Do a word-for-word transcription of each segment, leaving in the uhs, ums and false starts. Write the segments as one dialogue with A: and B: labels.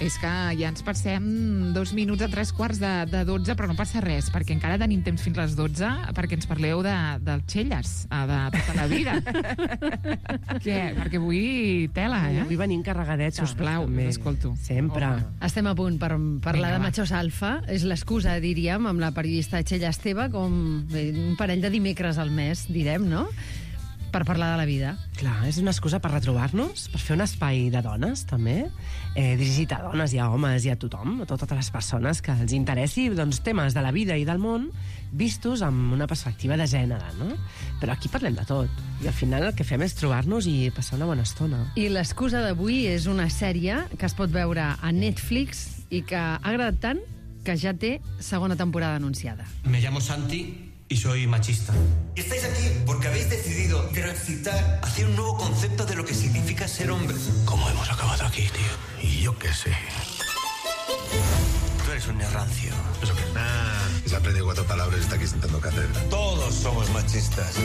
A: És que ja ens passem dos minuts a tres quarts de, de dotze, però no passa res, perquè encara tenim temps fins les dotze perquè ens parleu de, del Xelles, de tota la vida. Què? Perquè avui tela, eh?
B: Avui venim carregadets.
A: Sisplau, escolto.
B: Sempre.
C: Home. Estem a punt per parlar
A: Vinga,
C: de
A: va.
C: Machos Alfa. És l'excusa, diríem, amb la periodista Txell Esteve, com un parell de dimecres al mes, direm, no?, per parlar de la vida.
B: Clar, és una excusa per retrobar-nos, per fer un espai de dones, també, eh, dirigit a dones i a homes i a tothom, a totes les persones que els interessi, doncs, temes de la vida i del món vistos amb una perspectiva de gènere, no? Però aquí parlem de tot, i al final el que fem és trobar-nos i passar una bona estona.
C: I l'excusa d'avui és una sèrie que es pot veure a Netflix i que ha agradat tant que ja té segona temporada anunciada.
D: Me llamo Santi y soy machista. Y estáis aquí porque habéis decidido transitar hacia un nuevo concepto de lo que significa ser hombre. ¿Cómo hemos acabado aquí, tío? Y yo qué sé. Tú eres un rancio.
E: ¿Eso qué? Ah, se ha aprendido cuatro palabras y está aquí sentando cátedra.
D: Todos somos machistas.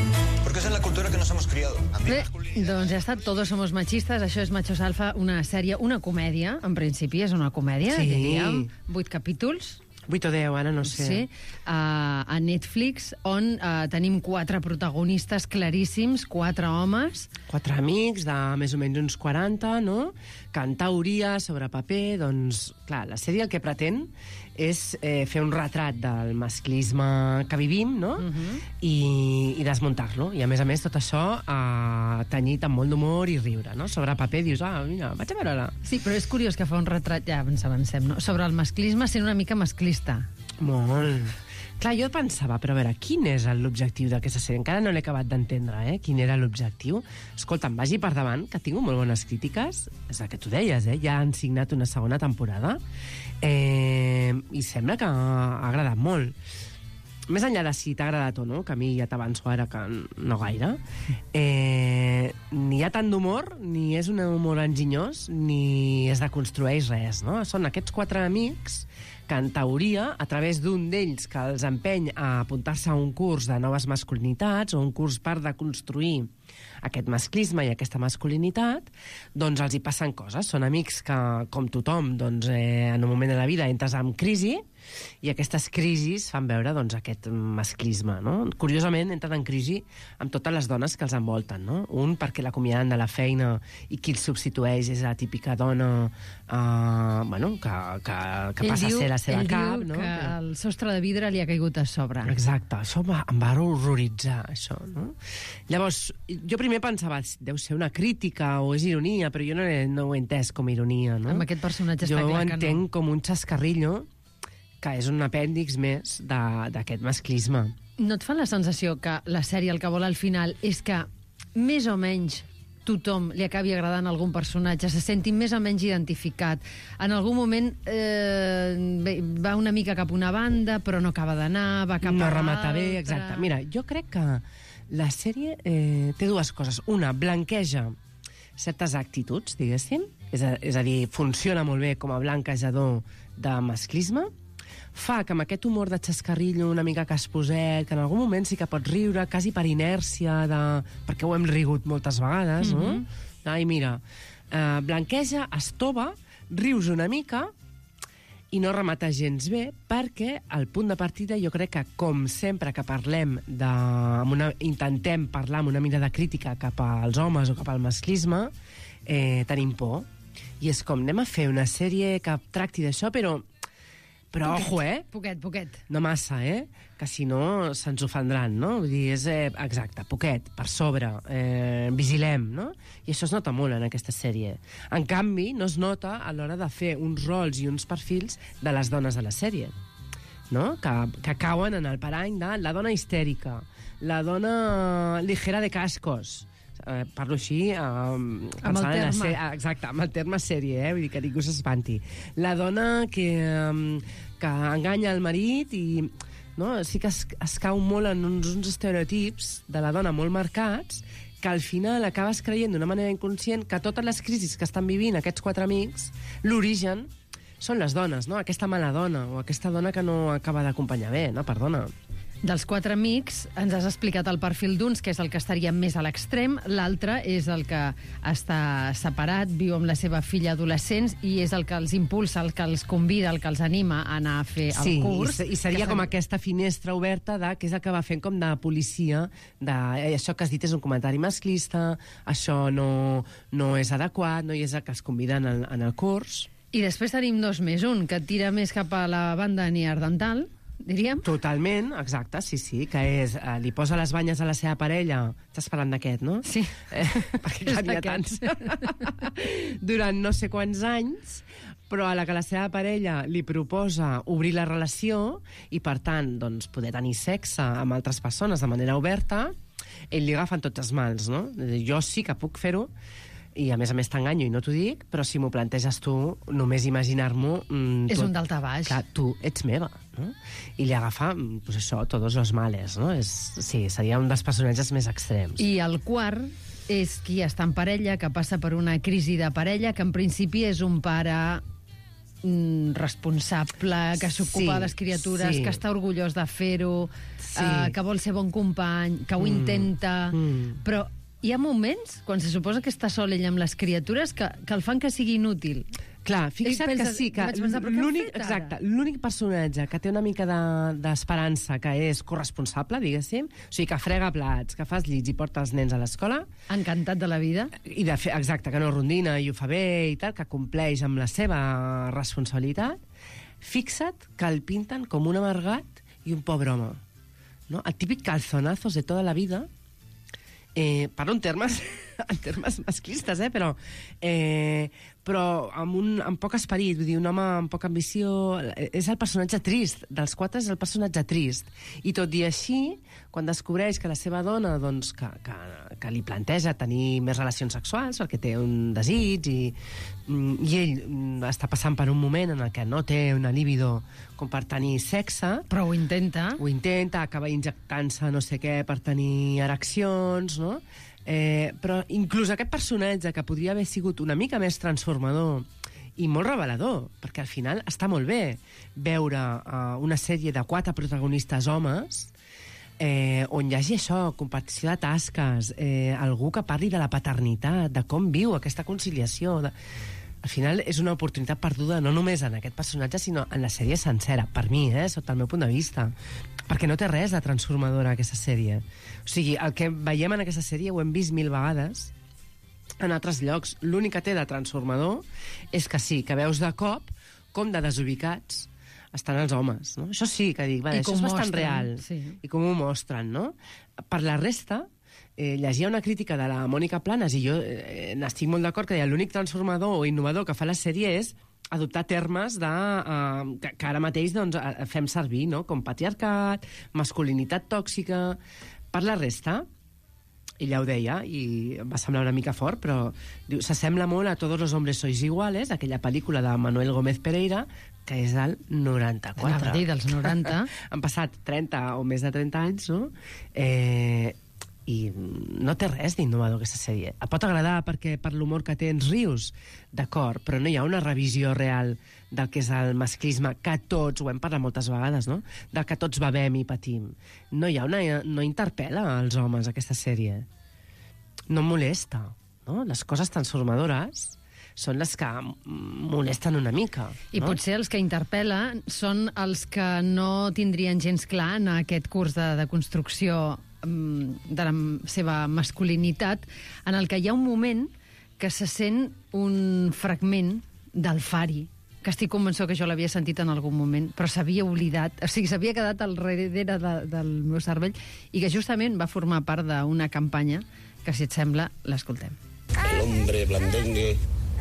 D: Porque esa es la cultura que nos hemos criado.
C: Bé, doncs ja ha estat Todos somos machistes. Això és Machos Alfa, una sèrie, una comèdia, en principi és una comèdia,
B: Sí.
C: diríem, vuit capítols.
B: vuit o deu, ara no sé.
C: Sí, a, a Netflix, on uh, tenim quatre protagonistes claríssims, quatre homes.
B: Quatre amics de més o menys uns quaranta, no?, que en teoria, sobre paper, doncs, clar, la sèrie el que pretén és eh, fer un retrat del masclisme que vivim, no?,
C: Uh-huh.
B: i, i desmuntar-lo. I, a més a més, tot això eh, tenyit amb molt d'humor i riure, no? Sobre paper dius, ah, mira, vaig a veure-la.
C: Sí, però és curiós que fa un retrat, ja ens avancem, no?, sobre el masclisme sent una mica masclista.
B: Molt. Clar, jo pensava, però a veure, quin és l'objectiu d'aquesta sèrie? Encara no l'he acabat d'entendre, eh? Quin era l'objectiu? Escolta'm, vagi per davant, que tinc molt bones crítiques. És el que tu deies, eh? Ja han signat una segona temporada. Eh, I sembla que ha agradat molt. Més enllà de si t'ha agradat o no, que a mi ja t'avanço ara que no gaire, eh, ni hi ha tant d'humor, ni és un humor enginyós, ni es deconstrueix res, no? Són aquests quatre amics que, en teoria, a través d'un d'ells que els empeny a apuntar-se a un curs de noves masculinitats o un curs per deconstruir aquest masclisme i aquesta masculinitat, doncs els hi passen coses. Són amics que, com tothom, doncs, eh, en un moment de la vida entres en crisi i aquestes crisis fan veure, doncs, aquest masclisme, no? Curiosament, entren en crisi amb totes les dones que els envolten, no? Un, perquè l'acomiaden de la feina i qui els substitueix és la típica dona eh, bueno, que, que, que passa
C: diu,
B: a ser la seva
C: ell
B: cap,
C: diu
B: no?
C: que el sostre de vidre li ha caigut a sobre.
B: Exacte, això va, em va horroritzar, això, no? Llavors, jo primer pensava, deu ser una crítica o és ironia, però jo no, he, no ho he entès com a ironia, no?
C: Amb aquest personatge
B: jo
C: està clar
B: ho
C: que
B: entenc
C: no.
B: com un xascarrillo que és un apèndix més d'aquest masclisme.
C: No et fa la sensació que la sèrie el que vol al final és que més o menys tothom li acabi agradant algun personatge, se senti més o menys identificat. En algun moment eh, va una mica cap a una banda, però no acaba d'anar, va cap
B: no
C: a
B: remata
C: l'altra.
B: bé, exacte. Mira, jo crec que la sèrie eh, té dues coses. Una, blanqueja certes actituds, diguéssim, és a, és a dir, funciona molt bé com a blanquejador de masclisme, fa que amb aquest humor de xascarrillo una mica casposet, que en algun moment sí que pots riure, quasi per inèrcia, de... perquè ho hem rigut moltes vegades, no? Mm-hmm. Ai, mira, eh, blanqueja, estova, rius una mica i no remata gens bé, perquè el punt de partida jo crec que, com sempre que parlem de... Amb una... intentem parlar amb una mirada crítica cap als homes o cap al masclisme, eh, tenim por. I és com, anem a fer una sèrie que tracti d'això, però Però,
C: poquet,
B: ojo, eh?
C: Poquet, poquet.
B: No massa, eh? Que si no se'ns ofendran, no? Vull dir, és eh, exacte, poquet, per sobre, eh, vigilem, no? I això es nota molt en aquesta sèrie. En canvi, no es nota a l'hora de fer uns rols i uns perfils de les dones de la sèrie, no? Que, que cauen en el parany de la dona histèrica, la dona ligera de cascos, eh, parlo així eh,
C: amb el
B: pensant en la
C: terme.
B: sèrie, exacte, amb el terme sèrie, eh? Vull dir que ningú s'espanti. La dona que, eh, que enganya el marit i no? Sí que es, es cau molt en uns, uns estereotips de la dona molt marcats, que al final acabes creient d'una manera inconscient que totes les crisis que estan vivint aquests quatre amics, l'origen són les dones, no? Aquesta mala dona o aquesta dona que no acaba d'acompanyar bé, no? Perdona.
C: Dels quatre amics, ens has explicat el perfil d'uns, que és el que estaria més a l'extrem, l'altre és el que està separat, viu amb la seva filla adolescents i és el que els impulsa, el que els convida, el que els anima a anar a fer el
B: sí,
C: curs.
B: i, i seria com aquesta finestra oberta de, que és el que va fent com de policia, de eh, això que has dit és un comentari masclista, això no, no és adequat, no hi és el que els conviden en, en el curs.
C: I després tenim dos més, un que tira més cap a la banda neandertal, diríem.
B: Totalment, exacte, sí, sí, que és, eh, li posa les banyes a la seva parella, estàs parlant d'aquest, no?
C: Sí.
B: Eh, perquè clar, n'hi ha tants. Durant no sé quants anys, però a la que la seva parella li proposa obrir la relació i, per tant, doncs, poder tenir sexe amb altres persones de manera oberta, ell li agafen tots els mals, no? Jo sí que puc fer-ho, i a més a més t'enganyo i no t'ho dic, però si m'ho planteges tu, només imaginar-m'ho... Mm,
C: és
B: tu,
C: un daltabaix.
B: Clar, tu ets meva, no? I li agafa, pues això, tots els males, no? És, sí, seria un dels personatges més extrems.
C: I el quart és qui està en parella, que passa per una crisi de parella, que en principi és un pare mm, responsable, que s'ocupa
B: Sí,
C: de les criatures,
B: sí.
C: que està orgullós de fer-ho,
B: Sí.
C: eh, que vol ser bon company, que ho
B: Mm,
C: intenta...
B: mm.
C: Però hi ha moments, quan se suposa que està sol ell amb les criatures, que, que el fan que sigui inútil.
B: Clar, fixa't
C: penses-
B: que sí, que
C: vaig pensar, però què han
B: l'únic,
C: fet ara?
B: exacte, l'únic personatge que té una mica de- d'esperança, que és corresponsable, diguéssim, o sigui, que frega plats, que fa els llits i porta els nens a l'escola,
C: Encantat de la vida.
B: i de fer, exacte, que no rondina i ho fa bé i tal, que compleix amb la seva responsabilitat, fixa't que el pinten com un amargat i un pobre home. No? El típic calzonazos de tota la vida, eh, parlo en termes, en termes masclistes, eh, però, eh, però amb, un, amb poc esperit, vull dir, un home amb poca ambició, és el personatge trist, dels quatre és el personatge trist, i tot i així, quan descobreix que la seva dona, doncs, que, que, que li planteja tenir més relacions sexuals, perquè té un desig, i, i ell està passant per un moment en el que no té una libido com per tenir sexe,
C: Però ho intenta.
B: ho intenta, acaba injectant-se no sé què per tenir ereccions, no? Eh, però inclús aquest personatge, que podria haver sigut una mica més transformador i molt revelador, perquè al final està molt bé veure uh, una sèrie de quatre protagonistes homes eh, on hi hagi això, compartició de tasques, eh, algú que parli de la paternitat, de com viu aquesta conciliació... De... Al final és una oportunitat perduda no només en aquest personatge, sinó en la sèrie sencera, per mi, eh, sota el meu punt de vista. Perquè no té res de transformadora, aquesta sèrie. O sigui, el que veiem en aquesta sèrie ho hem vist mil vegades en altres llocs. L'únic que té de transformador és que sí, que veus de cop com de desubicats estan els homes, no? Això sí que dic, vale,
C: I
B: això
C: com
B: és bastant
C: mostren,
B: real.
C: sí.
B: I com ho mostren, no? Per la resta, eh, llegia una crítica de la Mònica Planes i jo eh, n'estic molt d'acord que deia l'únic transformador o innovador que fa la sèrie és adoptar termes de, uh, que, que ara mateix doncs, fem servir, no? Com patriarcat, masculinitat tòxica... Per la resta, ella ho deia, i em va semblar una mica fort, però diu, s'assembla molt a Todos los hombres sois iguales, aquella pel·lícula de Manuel Gómez Pereira, que és del noranta-quatre.
C: Anava a dir, dels noranta.
B: Han passat trenta o més de trenta anys, no? Eh, I no té res d'innovador, aquesta sèrie. Et pot agradar perquè per l'humor que té ens rius, d'acord, però no hi ha una revisió real del que és el masclisme, que tots, ho hem parlat moltes vegades, no? Del que tots bevem i patim. No hi ha una... no interpel·la als homes, aquesta sèrie. No molesta, no? Les coses transformadores són les que molesten una mica.
C: I
B: no?
C: potser els que interpel·la són els que no tindrien gens clar en aquest curs de, de construcció um, de la seva masculinitat, en el que hi ha un moment que se sent un fragment del Fari, que estic convençut que jo l'havia sentit en algun moment, però s'havia oblidat, o sigui, s'havia quedat al darrere de, del meu cervell, i que justament va formar part d'una campanya que, si et sembla, l'escoltem.
F: El hombre blandengue,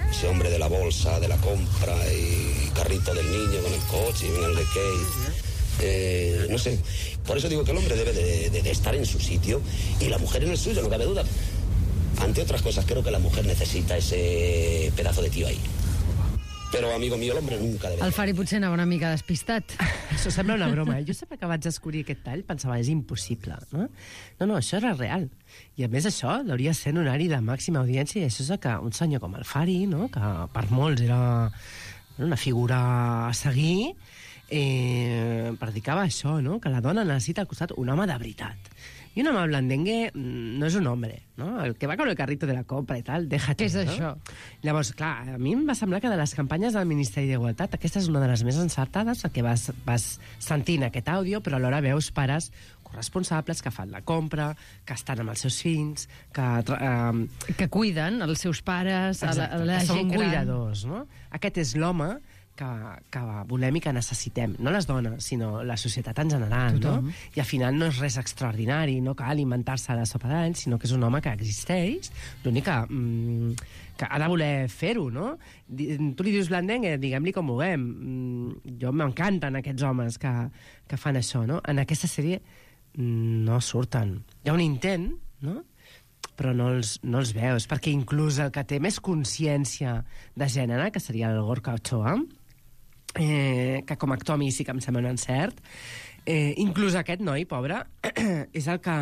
F: ese hombre de la bolsa, de la compra y carrito del niño con el coche y en el de Kate. Eh, no sé, por eso digo que el hombre debe de, de, de estar en su sitio y la mujer en el suyo, no cabe duda. Ante otras cosas, creo que la mujer necesita ese pedazo de tío ahí. Però, amigo mío, l'home nunca debe...
C: El Fari potser anava una mica despistat.
B: Això sembla una broma. Jo sempre que vaig descobrir aquest tall pensava, és impossible, no? No, no, això era real. I a més això hauria de ser un horari de màxima audiència, i això és que un senyor com el Fari, no? Que per molts era una figura a seguir, eh, predicava això, no? Que la dona necessita al costat un home de veritat. I un home blandengue no és un home, no? El que va con el carrito de la compra i tal, déjate.
C: Què és
B: no?
C: això?
B: Llavors, clar, a mi em va semblar que de les campanyes del Ministeri d'Igualtat aquesta és una de les més encertades, que vas, vas sentint aquest àudio, però alhora veus pares corresponsables que fan la compra, que estan amb els seus fills, que... Eh,
C: que cuiden els seus pares, a la, a la
B: que són
C: gent gran.
B: cuidadors, no? Aquest és l'home que, que volem i que necessitem. No les dones, sinó la societat en general,
C: Tothom.
B: no? I al final no és res extraordinari, no cal inventar-se la sopa d'any, sinó que és un home que existeix, l'únic que, mm, que ha de voler fer-ho, no? Tu li dius blandengue, diguem-li com vulguem. Mm, jo m'encanten aquests homes que, que fan això, no? En aquesta sèrie no surten. Hi ha un intent, no?, però no els, no els veus, perquè inclús el que té més consciència de gènere, que seria el Gorka Ochoa, eh, que com a actor a mi sí que em sembla un encert, eh, inclús aquest noi, pobre, és el que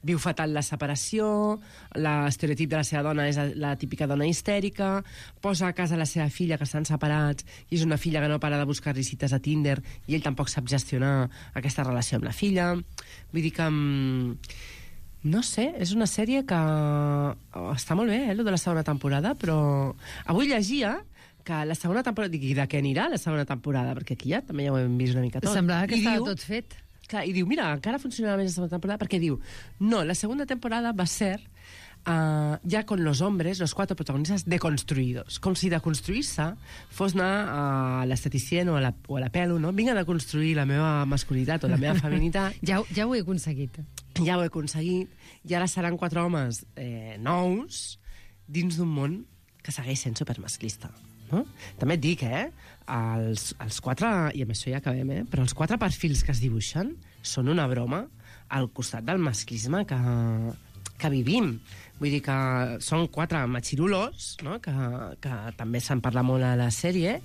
B: viu fatal la separació, l'estereotip de la seva dona és la típica dona histèrica, posa a casa la seva filla, que estan separats, i és una filla que no para de buscar visites a Tinder, i ell tampoc sap gestionar aquesta relació amb la filla. Vull dir que... No sé, és una sèrie que oh, està molt bé, eh, lo de la segona temporada, però avui llegia que la segona temporada... Dic, i de què anirà la segona temporada? Perquè aquí ja també ja ho hem vist una mica tot.
C: Semblava que
B: I
C: estava
B: diu,
C: tot fet.
B: Clar, i diu, mira, encara funcionarà més la segona temporada, perquè diu, no, la segunda temporada va ser uh, ya con los hombres, los cuatro protagonistas, deconstruïdos. Com si de construir-se fos anar a l'esteticien o, a la, o a la pelo, no? Vinga de construir la meva masculinitat o la meva feminitat.
C: Ja, ja ho he aconseguit.
B: Ja ho he aconseguit, i ara seran quatre homes eh, nous dins d'un món que segueix sent supermasclista. No? També et dic, eh? Els, els quatre, i amb això ja acabem, eh? Però els quatre perfils que es dibuixen són una broma al costat del masclisme que, que vivim. Vull dir que són quatre machirulos, no? que, que també se'n parla molt a la sèrie,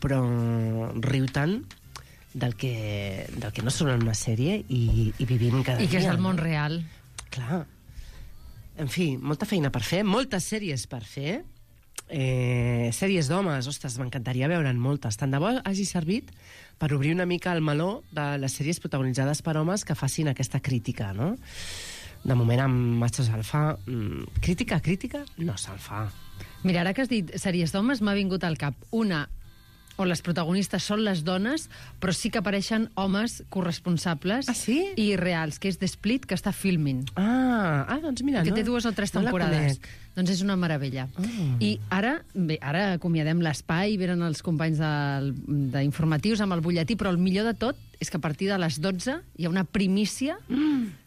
B: però riu tant del que, del que no són en una sèrie i, i vivim cada dia.
C: I que és el
B: no?
C: món real.
B: Clar. En fi, molta feina per fer, moltes sèries per fer, eh, sèries d'homes, ostres, m'encantaria veure'n moltes. Tant de bo hagi servit per obrir una mica el meló de les sèries protagonitzades per homes que facin aquesta crítica, no? De moment amb Machos Alfa, mmm, crítica, crítica, no se'n fa.
C: Mira, ara que has dit sèries d'homes, m'ha vingut al cap una on les protagonistes són les dones, però sí que apareixen homes corresponsables
B: Ah, sí?
C: i reals, que és The Split, que està filming.
B: Ah, ah doncs mira,
C: que
B: no?
C: té dues o tres
B: no la
C: temporades.
B: conec.
C: Doncs és una meravella.
B: Ah.
C: I ara, bé, ara acomiadem l'espai, venen els companys del- d'informatius amb el butlletí, però el millor de tot és que a partir de les dotze hi ha una primícia mm.